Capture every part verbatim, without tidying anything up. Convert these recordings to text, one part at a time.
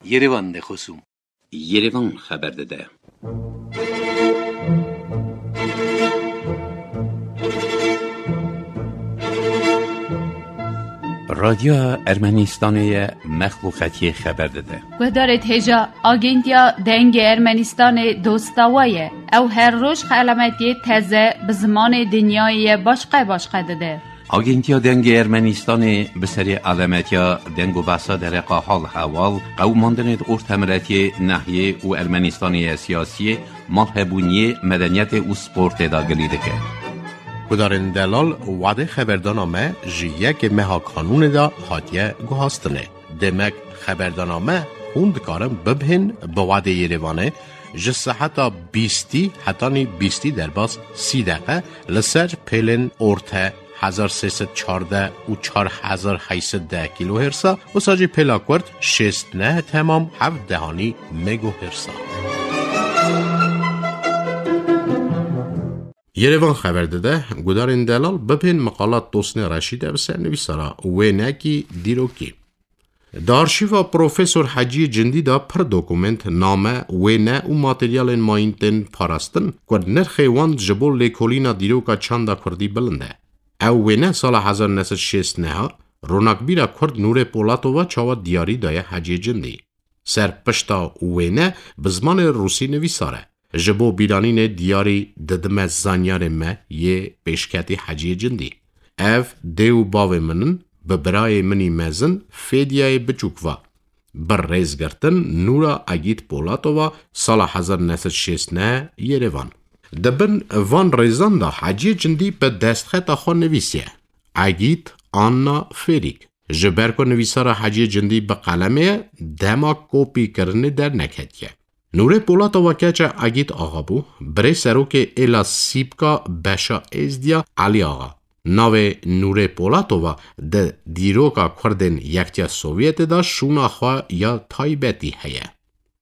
Yerevan de xosûm. Yerevan xeber dide. Radyoya Ermenistanê ye mexluqetiyê xeber dide. Guhdarêt hêja Agentiya Dengê Ermenistanê dosta we ye. Ew her roj xelametiyê teze bi zimanê dinyayê ye başqe başqe dide. Agentiya Dengê Ermenistanê bi serê alemetiya deng û behsa dereqa hal hewal, qewimandinê di ortemiletiyê, nehiyê û Ermenistanê ye siyasiyê, malhebûniyê, medeniyetê û sportê de gilî dike. Gudarên delal, wadê xeberdana me ji yekê meha kanûnê de hatiye guhastinê. Demek xeberdana me hûn dikarin bibhên bi wadê Yerevanê ji seheta bîstî hetanî bîstî derbas sî deqe li ser pêlên orte hezar sê sed çardeh û çar hezar heyt sed deh kilohertsa, wisa jî pêla kurt şêst neh temam heft dehanî megohertsa. Yerevan xeber dide, gudarên delal bibên miqalat Tosnê Reşîd e bi ser nivîsara wênekî dîrokî. Di arşîva Profesor Heciyê Cindî de pir dokument, name, wêne û materyalên mayîn tên parastin ku nirxê wan ji bo lêkolîna dîroka çanda kurdî bilind e. Ew wêne sala hezar neh sed şêst neha ronakbîra kurd Nûrê Polatova çawa diyarî daye Heciyê Cindî. Ser pişta wêne bi zimanê rûsî nivîsar e. Ji bo bîranînê diyarî didime zanyarê me yê pêşketî Heciyê Cindî. Ev dê û bavê min in, bi birayê min î mezin Fêdiyayê biçûk va. Bi rêzgirtin Nûra Egîd Polatova sala hezar neh sed şêst neh Yerevan. Di bin van rêzan de Heciyê Cindî bi destxeta xwe nivîsiye. Egîd Anna Fêrîk. Ji ber ku nivîsara Heciyê Cindî bi qelemê ye, dema kopîkirinê derneketiye. Nûrê Polatova keça Egîd Axa bû, birê serokê êla Sîpka Beşa Êzdiya Elî Axa. Navê Nûrê Polatova di dîroka Kurdên Yektiya Sovyetê de şûna xwe ya taybetî heye.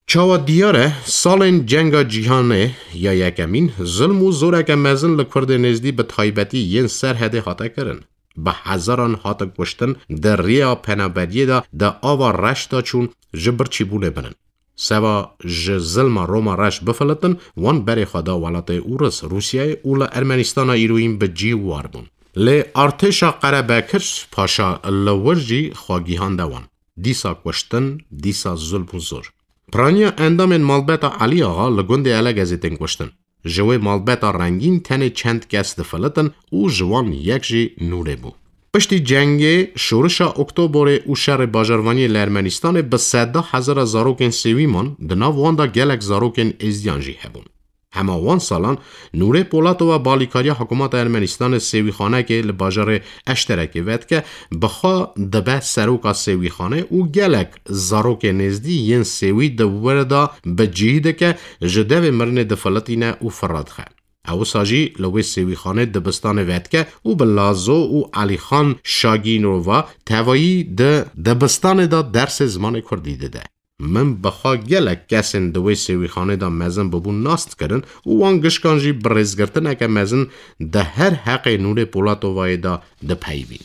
Çawa diyar e, salên Cenga Cîhanê ya Yekemîn, zilm û zoreke mezin li Kurdên Êzdî bi taybetî yên Serhedê hate kirin. Bi hezaran hatin kuştin, di riya penaberiyê de di ava reş de çûn, ji birçîbûnê bin in. Seba ji zilma Roma reş bifilitin, wan berê xwe da welatê Ûris, Rûsyayê û li Ermenistana îroyîn bi cî war bûn. Lê artêşa Qerebekir Paşa li wir jî xwe gihande wan. Dîsa kuştin, dîsa zulm û zor. Piraniya endamên malbeta Elî Axa li gundê Elegezê tên kuştin. Ji wê malbeta rengîn tenê çend kes difilitin û ji wan yek jî Nûrê bû. Piştî cengê, şorişa Oktoborê û şerê bajarvaniyê li Ermenistanê bi seda hezara zarokên sêwî man, di nav wan de gelek zarokên êzdiyan jî hebûn. Hema wan salan Nûrê Polatova balîkariya hikûmeta Ermenistanê sêwîxanekê li bajarê Eşterekê vedike, bi xwe dibe seroka sêwîxanê û gelek zarokê nêzdî yên sêwî di wir de bi cî dike, ji devê mirinê difilitîne û firra dixe. Ew wisa jî li wê sêwîxanê dibistanê vedike û bi Lazo û Elîxan Şagînova tevayî di dibistanê de dersê zimanê kurdî dide. Min bi xwe gelek kesên di wê sêwîxanê de mezin bibûn nas dikirin û wan gişkan jî bi rêzgirtineke mezin di her heqê Nûrê Polatovayê de dipeyivîn.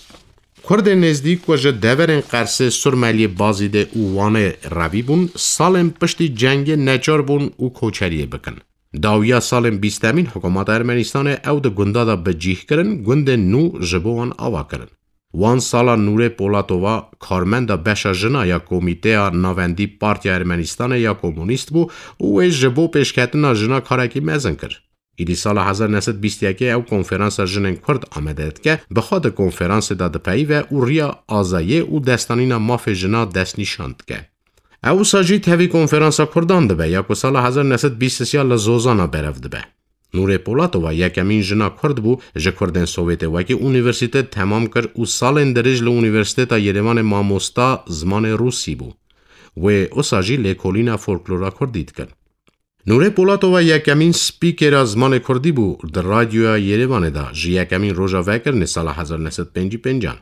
Kurdên nêzdî ku ji deverên Qersê, Surmeliyê, Bazîdê û Wanê revî bûn, salên piştî cengê neçar bûn û koçeriyê bikin. Dawiya salên bîstemîn hikûmeta Ermenistanê ew di gunda de bi cîh kirin, gundên nû ji bo wan ava kirin. Wan sala Nûrê Polatova, karmenda beşa jina ya Komîteya Navendî Partiya Ermenistanê ya Komunîst bû û wê ji bo pêşketina jina karekî mezin kir. Îdî sala hezar neh sed bîst yekê ew konferansa jinên Kurd amade dike, bi xwe di konferansê de dipeyive û riya azayê û destanîna mafê jina destnîşan dike. Ew wisa jî tevî konferansa Kurdan dibe, ya ku sala hezar neh sed bîst sê li Zozana berev dibe. Nûrê Polatova yekemîn jina Kurd bû ji Kurdên Sovyetê wekî unîversîte temam kir û salên dirêj li Unîversîteta Yerêvanê mamosta zimanê Rûsî bû. Wê wisa jî lêkolîna folklora Kurdî dikir. Nûrê Polatova yekemîn spîkera zimanê Kurdî bû di Radyoya Yerêvanê de ji yekemîn roja vekirinê sala hezar neh sed pêncî pêncan.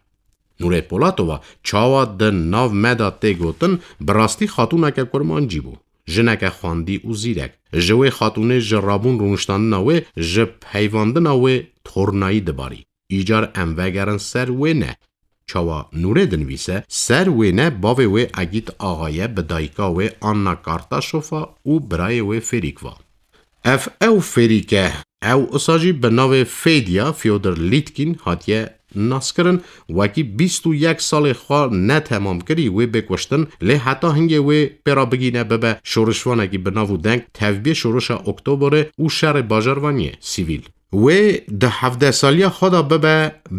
Nûrê Polatova çawa di nav me de tê gotin, bi rastî xatûneke kurmancî bû. Jineke xwendî û zîrek. Ji wê xatûnê ji rabûn rûniştandina wê, ji peyvandina wê tornayî dibarî. Îcar em vegerin ser wê ne. Çawa Nûrê dinivîse, ser wêne bavê wê Egît Axa ye, bi dayika wê Anna Kartaşofa û birayê wê Fêrîk va. Ev ew Fêrîk e, ew usa jî bi navê Fêdiya Fyodor Lîtkîn hatiye naskirin, wekî bîst û yek salê xwe netemam kirî wê bê kuştin, lê heta hingê wê pê re bigîne bibe şorişvanekî bi nav û deng, tevbiyê şorişa Oktoberê û şerê bajarvaniyê sivîl. Wê di hevdeh saliya xwe de bibe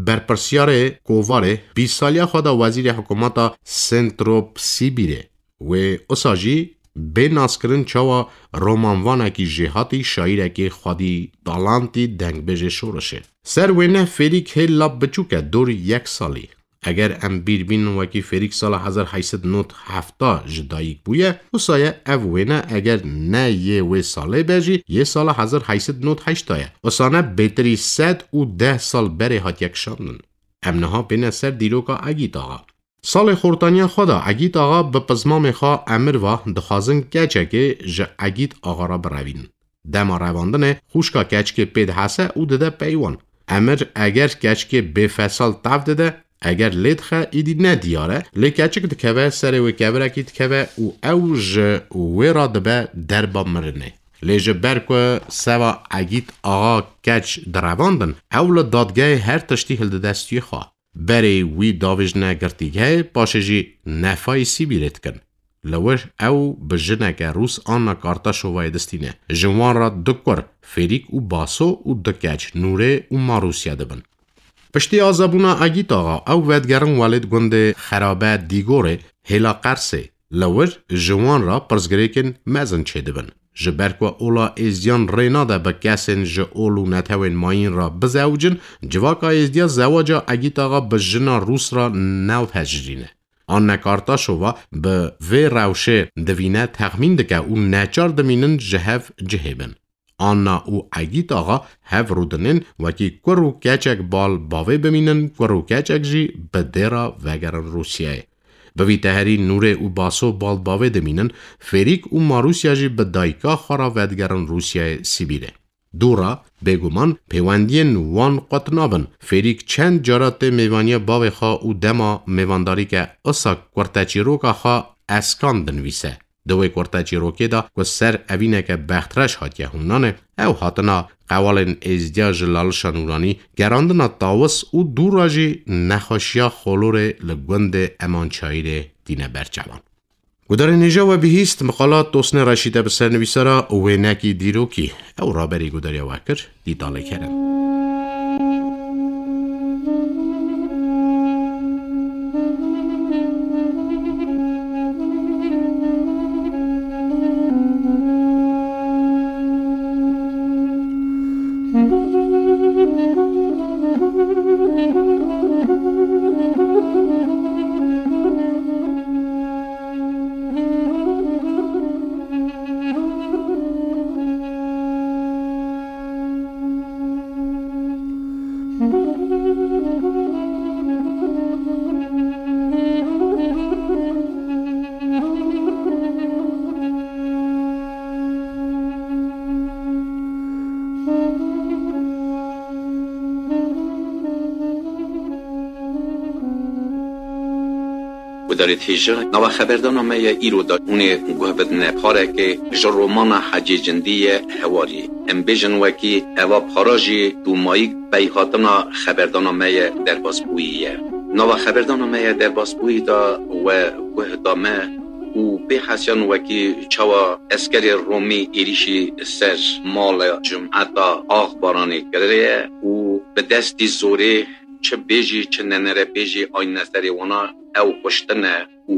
berpirsiyarê kovarê, bîst saliya xwe de wezîrê hikûmeta Sentropsîbîrê. Wê usa jî bê naskirin çawa romanvanekî jêhatî, şaîrekî xwedî talantî, dengbêjê şorişê. Ser wêne Fêrîk hê lap biçûk e, dorî yek salî. Eger em bîr bînin wekî Fêrîk sala hezar heyt sed nod hefta ji dayik bûye, usa ye ev wêne eger ne yê wê salê be jî yê sala hezar heyt sed nod heşta ye. Usa ne bêtirî sed û deh sal berê hatiye kişandin. Em niha bêne ser dîroka Egît Axa. Salê xortaniya xwe de Egît Axa bi pizmamê xwe emir va, dixwazin keçekê ji Egît Axa re birevînin. Dema revandinê xwişka keçikê pê dihese û dide pey wan. Emir eger keçikê bêfesal tev dide, eger lê dixe, îdî ne diyar e, lê keçik dikeve serê wê kevirekî dikeve û ew ji wê re dibe derba mirinê. Lê ji ber ku seva Egît Axa keç direvandin, ew li dadgehê her tiştî hildide stûyê xwe. Berê wî davêjine girtîgehê, paşê jî nefayê Sîbîrê dikin. Li wir ew bi jineke Rûs Anna Kartaşovayê distîne. Ji wan re du kur, Fêrîk û Baso û du keç, Nûrê û Marûsya dibin. Piştî azebûna Egît Axa, ew vedigerin welêt gundê Xerabe Dîgorê, hêla Qersê. Li wir ji wan re pirsgirêkên mezin çêdibin. Ji ber ku ola êzdiyan rê nade bi kesên ji ol û netewên mayîn re bizewicin, civaka êzdiya zewaca Egît Axa bi jina Rûs re navhejirîne. Anne Kartaşova bi vê rewşê divîne, texmîn dike û neçar dimînin ji hev cihê bin. Anna û Egît Axa hev rûdinên wekî kur û keçek bal bavê bimînin, kur û keçek jî bi dê re vegerin Rûsyayê. Bi vî teherî Nûrê û Baso bal bavê dimînin, Fêrîk û Marûsya jî bi dayika xwe re vedigerin Rûsyayê Sîbîrê. Dû re, bêguman pêwendiyên wan qut nabin. Fêrîk çend cara tê mêvaniya bavê xwe û dema mêvandarî ke, usa kurteçîroka xwe Eskan dinivîse. Di wê kurteçîrokê de ku ser evîneke bextreş hatiye hûnanê, ew hatina qewalên êzdiya ji Lalişa Nûranî, gerandina tawis û dû re jî nexweşiya xolorê li gundê Emançayîrê tîne ber çavan. Gudarên hêja we bihîst, miqala Tosnê Reşîd e bi ser nivîsara wênekî dîrokî. Ew raberî gudariya we kir, Dîtalê Kerem. Gudarê hêja, nava xeberdana me ye îro de hûn ê guh bidine pareke ji romana Hecê Cindî ye Hewarî. Em bêjin wekî eva para jî dûmayîk peyhatina xeberdana me ye derbasbûyî ye. Nava xeberdana me ye derbasbûyî de we guh da me û bêhesiyan wekî çawa eskerê Romî êrîşî ser mala cumeta Axbaranê kiriye û bi destî zorê çi bêjî, çi nenere bêjî, ayne serê wana ew kuştine û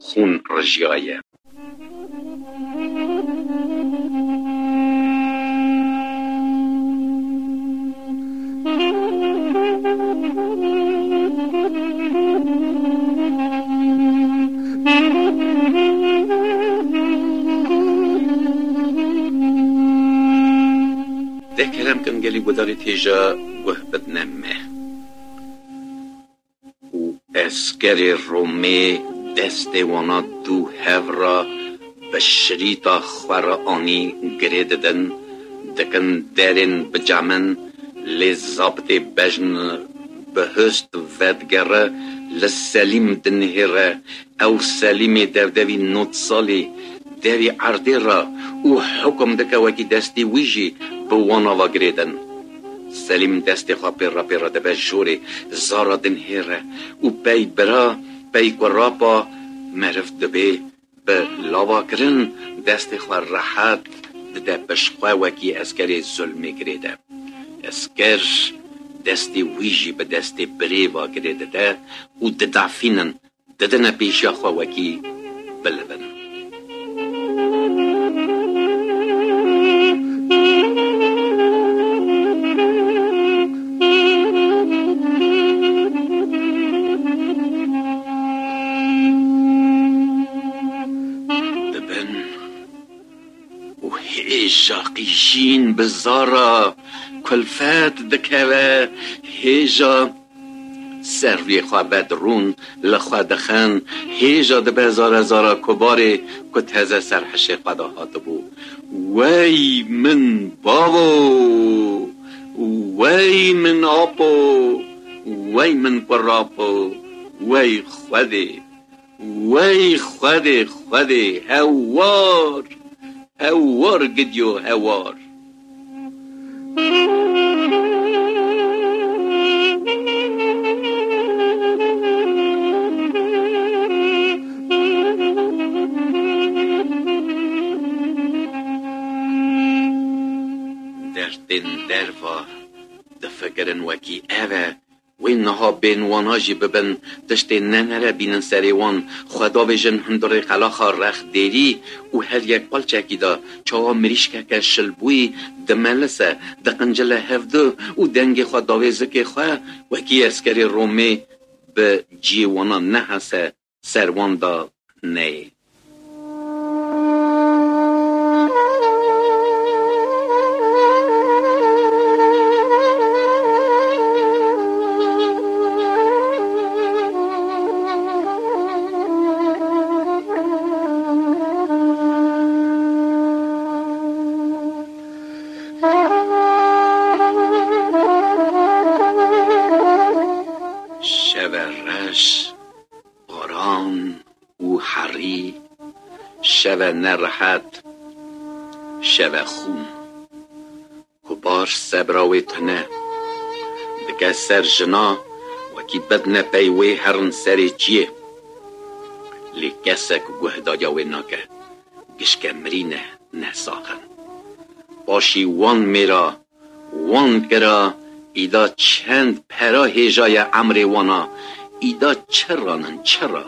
xûn rijiyaye. De kerem kin gelî gudarê têja guh bidine me. Û eskerê Romê destê wana dû hev re bi şirîta xwe re anî girê didin, dikin derên bicamin, lê zabitê bejn bi hust vedigere, Li Selîm dinihêre, ew Selîmê dewdewî nod salî derî erdê re û hukum dike wekî destê wî jî bi wana ve girêdin. Selîm destê xwe pê re pê re dibe jorê, zara dinihêre û pey bira, pey kurapa meriv dibê bi lavakirin destê xwe rehet dide pişt xwe wekî eskerê zulmê girê de. Esker destê wî jî bi destê birê ve girê dide û didafînin, didine pêşiya xwe wekî bilivin. Dibin û hêja qîjîn bi zara kulfet dikeve, hêja ser rûyê xwe vedrûn li xwe dixin, hêja dibe zare zara kubarê ku teze ser hişê xwe de hatibû. Wey min bavo! Wey min apo! Wey min kurapo! Wey Xwedê! Wey Xwedê, Xwedê, hewar, hewar gidiyo, hewar. Dertên derva difikirin wekî ev e. Wê niha bên wana jî bibin, tiştê ne nere bînin serê wan, xwe davêjin hundirê qelaxa rex dêrî û her yek palçekî de çawa mirîşkeke şilbûyî dimelise, diqincile hevdu û dengê xwe davê zikê xwe, wekî eskerê Romê bi ciyê wana nehese, ser wan de neyê. Şeve reş, baran û herî, şeve nerehet, şeve xûn. Kubar sebra wê tune. Dike ser jina, wekî bidine pey wê herin serê çiyê. Lê kesek guh dagiya wê nake. Gişke mirî ne, ne sax in. Paşî wan mêra, wan kira, îda çend pera hêjaye emrê wana, îda çi ranin, çi ra?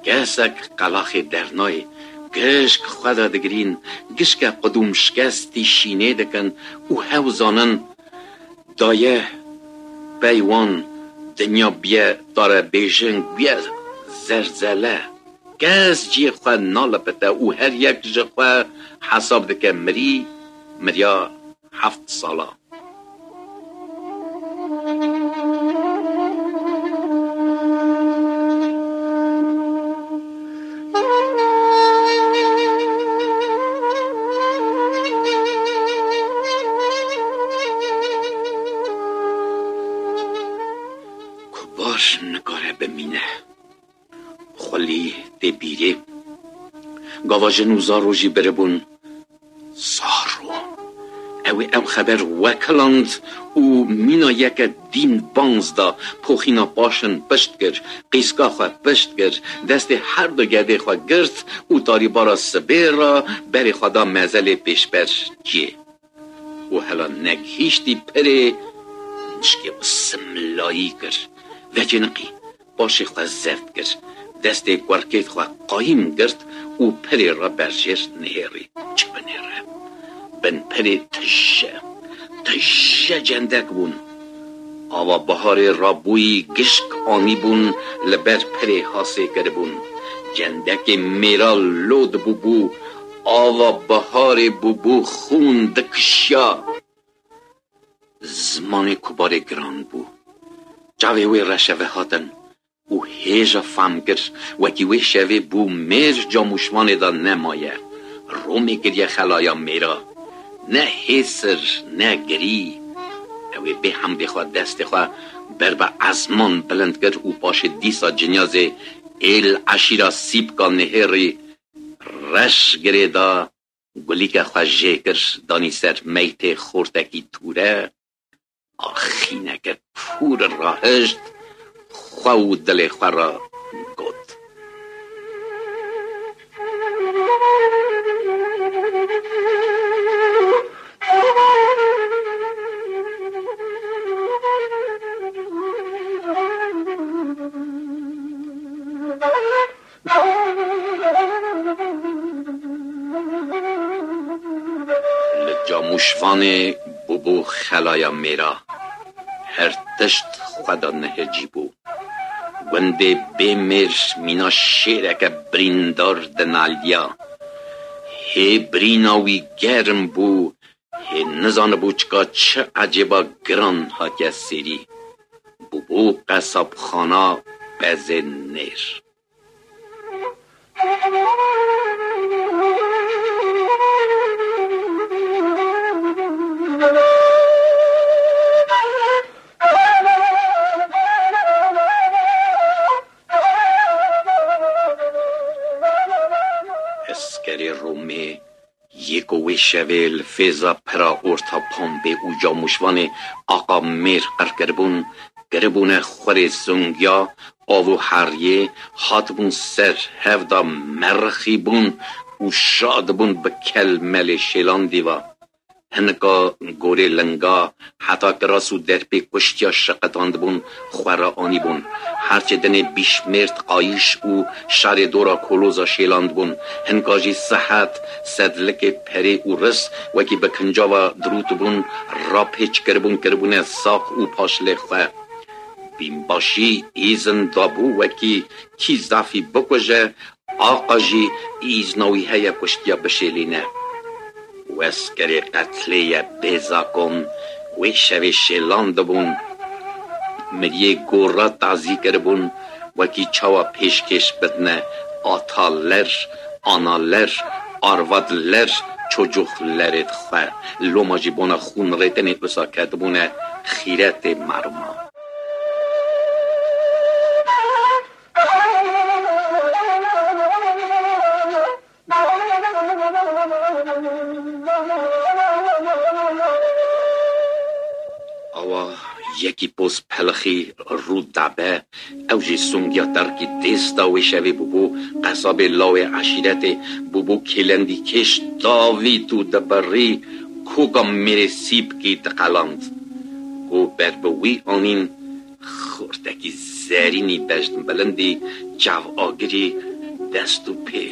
Kesek qelaxê dernayê, gişk xwe de digirîn, gişke qudûm şikestî şînê dikin û hew zanin, daye pey wan dinya biye tarebêjin, biye zerzele. Kes cihê xwe nalipite û her yek ji xwe hesab dike mirî, miriya heft sala. Kubar nikare bimîne. Xwelî tê bîrê. Gava jin û zaro jî biribûn. Zaro. Ew ê ew xeber wekiland û mîna yeke dîn banz da, poxîna paşin pişt kir, qîska xwe pişt kir, destê her du gedê xwe girt û tarîbara sibê re berê xwe da mezelê pêşber ciyê. Û hela negihîştî pirê, mişkê xwe simlayî kir. Vecêniqî, paşê xwe zeft kir. Destê kurkêt xwe qayîm girt û pirê re berjêr nihêrî. Çi binêre? Bin pirê tije, tije cendek bûn. Ava biharê rabûyî gişk anîbûn, li ber pirê hasê kiribûn. Cendekê mêra lod bûbû, ava biharê bûbû xûn dikişiya. Zimanê Kubarê giran bû. Çavê wê reşeve hatin û hêja fam kir, wekî wê şevê bû mêr camûşvanê de nemaye. Romê kiriye xelaya mêra. Ne hêsir, ne girî. Ew ê bê hemdê xwe destê xwe ber bi ezman bilind kir û paşê dîsa cinyazê êl eşîra Sîpka Nihêrî reş girê da, gulîke xwe jê kir, danî ser meytê xortekî tûre, axîneke pûr rahişt, xwe û dilê xwe re got. Li Camûşvanê bûbû xelaya mêra. Her tişt xwe da nehecî bû. Gundê bê mêr mîna şêreke birîndar dinaliya. Hê birîna wî germ bû, hê nizanibû çika çi ecêba giran hatiye sêrî. Bûbû qesabxana bezê nêr. Eskerê Romê yê ku wê şevê li fêza pira orta Pompê û Camûşvanê aqa mêr qir kiribûn, kiribûne xurê Sungya, av û heriyê, hatibûn ser hev da merixîbûn û şadibûn bi kel melê şêlandî va. Hinika gorê linga heta kiras û derpê kuştiya şiqitandibûn, xwe re anîbûn. Herçê dinê bîşmêr qayîş û şerê dora koloza şêlandibûn. Hinka jî sihet, sedlikê perê û ris wekî bi kincava dirûtibûn, rapêç kiribûn, kiribûne sax û paşlê xwe. Bînbaşî îzin dabû wekî kî zafî bikuje, aqa jî îzna wî heye kuştiya bişêlîne. Weskerê qetlê ye bê zakon, wê şevê şêlan dibûn. Miriyê gora tazî kiribûn, wekî çawa pêşkêş bidine ataler, analer, arvadler, çocuklerê xwe. Loma jî bona xûn rêtinê wisa ketibûne xîretê merma. Awa yekî poz pelixî rû dabe, ew jî Sungya Terkî dêsta wê şevê bûbû qesabê lawê eşîretê, bûbû kêlendîkêş davît û dibirî koka mêrê Sîpkî diqeland. Ku ber bi wî anîn, xortekî zerînî bejn bilindî, çav agirî, dest û pê.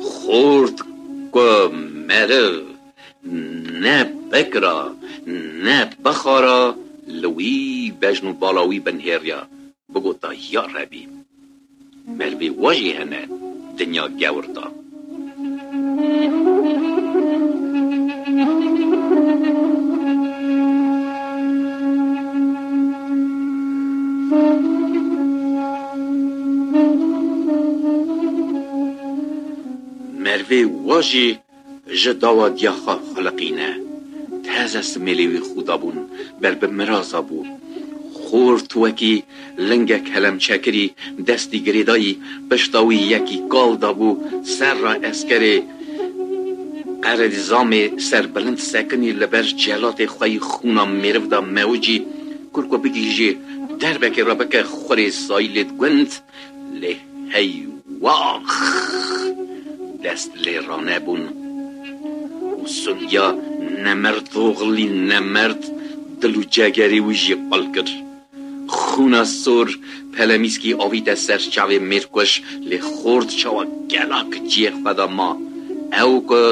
Xort ku meriv ne bikira, ne bixara, li wî bejn û bala wî binhêriya, bigota, Ya Rebî! Merivê wa jî hene dinya gewr da. Merivê wa jî ji dawa diya xwe xuliqîne. Teze simêlê wî xûda bûn, ber bi miraza bû. Xort wekî lingek helemçekirî destî girêdayî, pişta wî yekî kal dabû, serra eskerê Qeredîzamê serbilind sekinî, li ber celatê xwe yî xûna mêriv da mewicî, kur ku bigihîjê derbekê re bike xurê Sayîlê gund, lê hey wax! Dest lê ranebûn û Sungya nemerd oxlî nemerd dil û cegerê wî jî qul kir. Xûna sor pelemîskî avîte ser çavê mêrkuş, lê xort çawa gelak cihê xwe de ma. Ew ku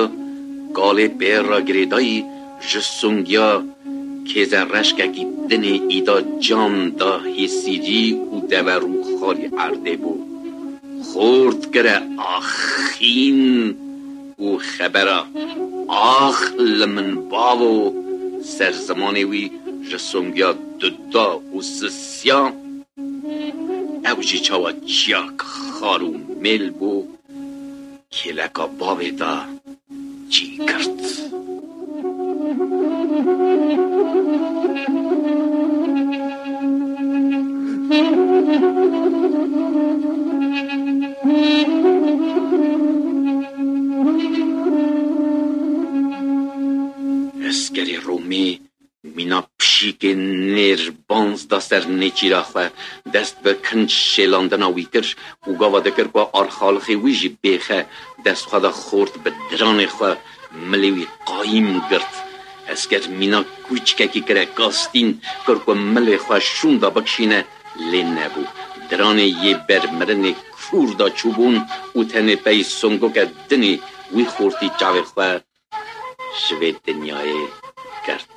kalê pê re girêdayî ji Sungya kêze reşkekî dinê îda can da hêsîrî û dever û xalî erdê bû. Xort kire axîn û xebera ax li min bavo ser zimanê wî ji Songya duda û sisiya, ew jî çawa çiyak xar û mêl bû, kêleka bavê da cî girt. Eskerê Romê mîna pişîkê nêrbanz da ser nêçîra xwe, dest bi kinc şêlandina wî kir û gava dikir ku arxalixê wî jî bêxe, dest xwe da xort bi diranê xwe, milê wî qayîm girt. Esker mîna kûçkekî kire kastîn, kir ku milê xwe şûnda bikişîne, lê nebû. Diranê yê ber mirinê kûr da çûbûn û tenê pey songoke dinê wî xortî çavê xwe ji vê dinyayê girt.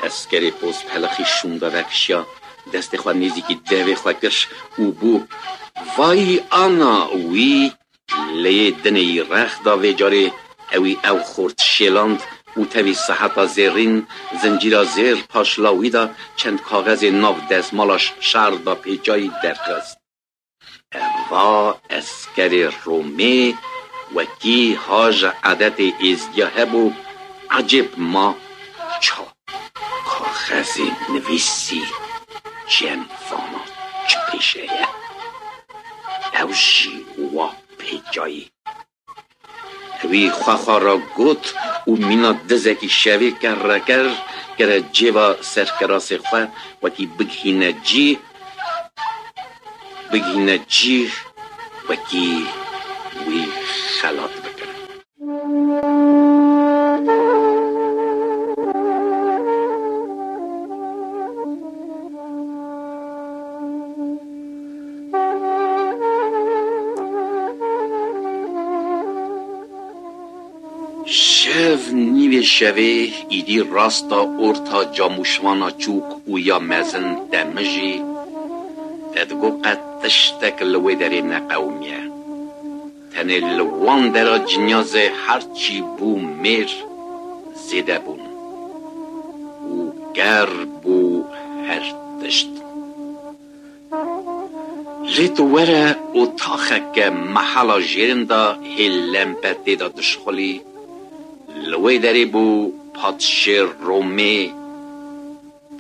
Eskerê pozpelixî şûnda vekişiya, destê xwe nêzîkî devê xwe kir û bû, "Vay ana wî!" Lê dinê yî rex da vê carê, ewî ew xort şêland û tevî seheta zêrîn, zincîra zêr paşla wî da, çend kaxezê nav dezmala şar da pêçayî derxist. Eva eskerê Romê wekî ha ji edetê êzdiya hebû, ecêb ma ça kaxezê nivîsî cem vana çi pêşe ye? Ew jî wa pêçayî. Ewî xwe xwe re got û mîna dizekî şevê kerreker kire cêva serkirasê xwe, wekî bigihîne cî, bigihîne cî, wekî wî xelat bikin. Şev nîvê şevê îdî rasta orta camûşvana çûk û ya mezin demijî, te digot qet tiştek li wê derê neqewimiye. Tenê li wan dera cinyazê her çî bû mêr zêde bûn û ger bû her tişt. Lê tu were otaxeke mehela jêrin de hê lempe tê de dişxulî. Li wê derê bû padşê Romê,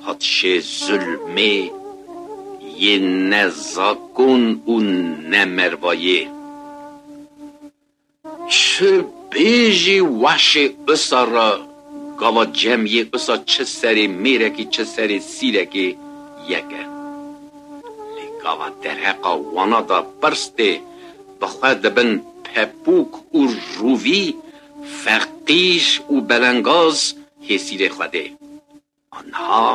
padşê zulmê, yê ne zakon û ne mervayê. Çi bêjî weşê usa re gava cem yê usa çi serê mêrekî çi serê sîrekê yek e. Lê gava derheqa wana de pirs tê, bi xwe dibin pepûk û rûvî, feqîr û belengaz hê sîrê Xwedê. Anha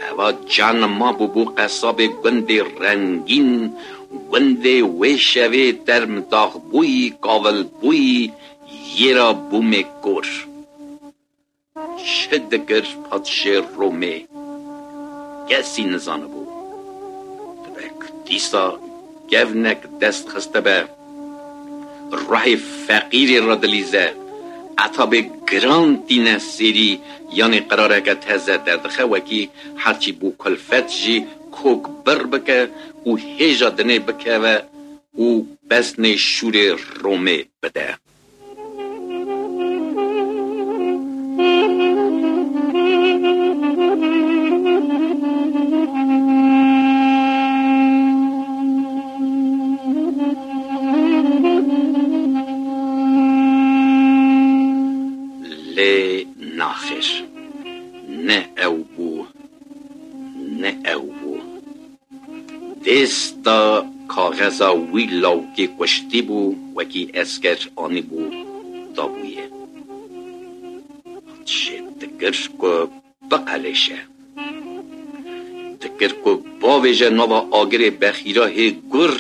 eva can ma bûbû qesabê gundê rengîn, gundê wê şevê term daxbûyî, kavilbûyî, yê ra bûmê kor. Çi dikir padşê Romê? Kesî nizanibû. Dibe ku dîsa kevnek dest xistibe, ruhê feqîrê re dilîze, etabê giran tîne sêrî, yanê qirareke teze derdixe, wekî herçî bû kulfet jî kok bir bike û hêja dinê bikeve û pesnê şûrê Romê bide. Lê naxêr, ne ew bû, ne ew bû. Dêsta kaxeza wî lawkê kuştî bû, wekî esker anîbû dabûyê. Padşê dikir ku biqelêşe. Dikir ku bavêje nava agirê bexîra hê gur.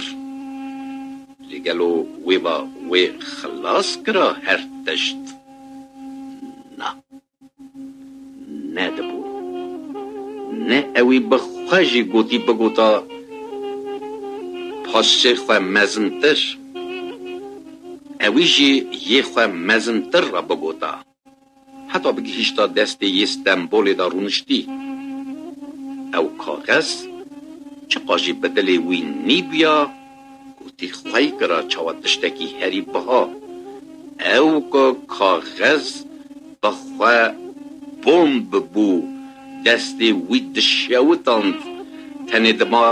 Lê gelo wê va wê xilas kira her tişt? Na. Nedibû. Ne ewî bi xwe jî gotî bigota, paşê xwe mezintir, ewî jî yê xwe mezintir re bigota. heta bigihîşta destê yê Stenbolê de rûniştî. Ew kaxez çiqa jî bi dilê wî nîbûya, gotî xwey kira çawa tiştekî herî biha. Ew ku kaxez bi xwe bomb bû, destê wî dişewitand, tenê dima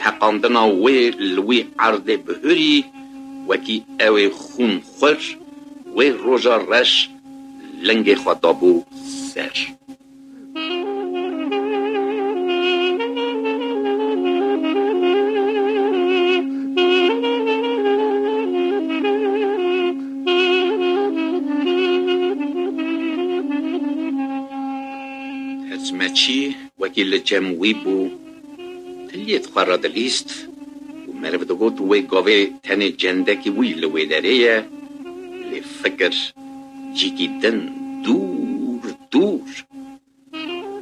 teqandina wê li wî erdê bihurî, wekî ew ê xûn xwir, wê roja reş lingê xwe dabû ser. Hizmetçî wekî li cem wî bû, tiliyê xwe re dilîst û meriv digot wê gavê tenê cendekî wî li wê derê ye, lê fikir cîkî din dûr dûr.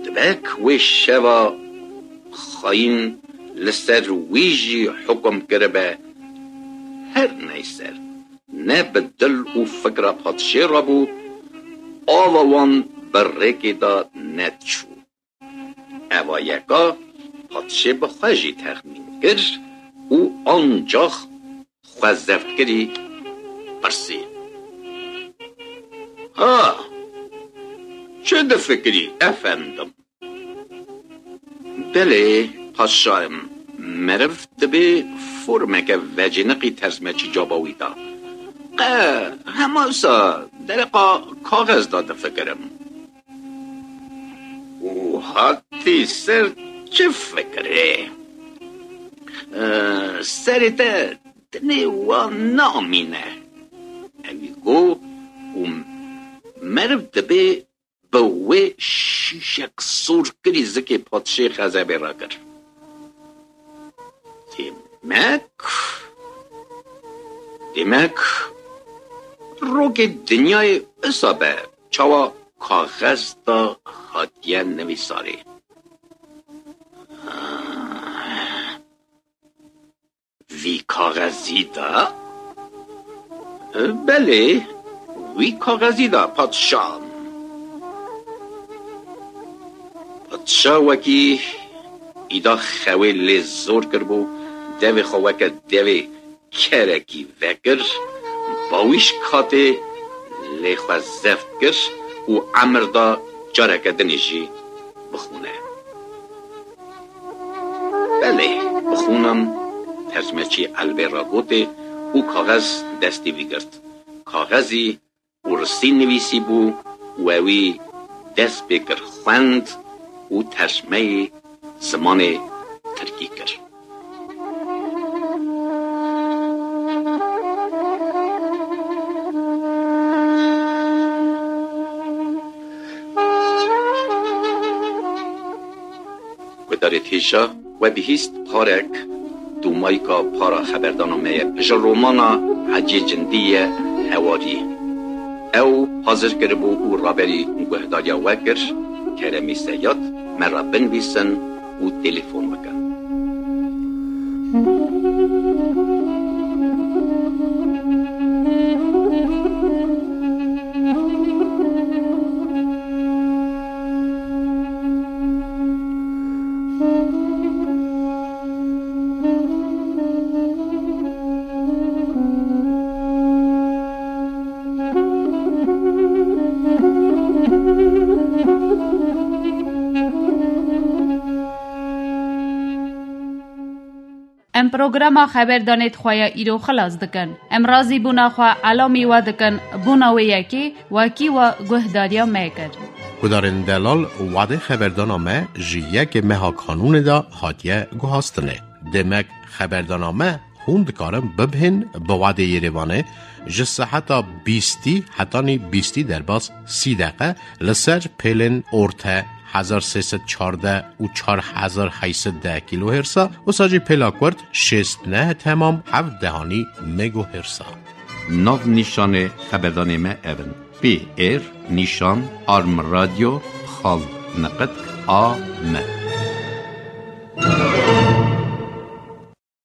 Dibek wê şeva xayîn li ser wî jî hukum kiribe, her neyse, ne bi dil û fikra padşê re bû, ava wan bi rêkê de nediçû. Eva yeka padşê bi xwe jî texmîn kir û ancax xwe zeft kirî pirsî. Ha, çi difikirî efendim? Belê, paşayim, meriv dibê formeke vecêniqî terzmekî caba wî da. Qe, hema wisa dereqa kaxez da difikirim. Û hatî ser çi fikirê? E, serê te dinê wan namîne. Ewî got û meriv dibê bi wê şîşek sor kirî zikê padşê xezebê rakir. Demek, demek, rokê dinyayê wisa be, çawa kaxez da hatiye nivîsarê. Vî kaxezî da? Belê, wî kaxezî da padşah. Padşah wekî îda xewê lê zor kiribû, devê xwe weke devê kerekî vekir, bawîş katê lê xwe zeft kir û emir da careke dinê jî bixûne. Belê, bixûnim, tercmeçî elbê ragotê û kaxez destê wî girt. Kaxezî û risî nivîsî bû û ewî dest pê kir xwend û tercmeyê zimanê tirkî kir. Guhdarê hêja, we bihîst parek, dûmayka para xeberdana me ye. Ji romana Hecî Cindî ye, Hewarî. Ew hazir kiribû û raberî guhdariya we kir. Keremî Seyad, me re binivîsin û telefon bikin. Em programa xeberdanê di xwe ya îro xilas dikin. Em razîbûna xwe elamî we dikin, bûna wê yekê wekî we guhdariya me kir. Gudarên delal, wadê xeberdana me ji yekê meha Kanûnê de hatiye guhastinê. Demek xeberdana me hûn dikarin bibihên bi wadê Yerêvanê ji seheta bîstî hetanî bîstî derbas sî deqe li ser pêlên orte hezar sê sed çardeh û çar hezar heyt sed deh kilohersa, wisa jî pêla kurt şêst neh temam heft dehanî megahersa. Nav nîşanê xeberdanê me ev in: P R nîşan arm radio xal niqit A M.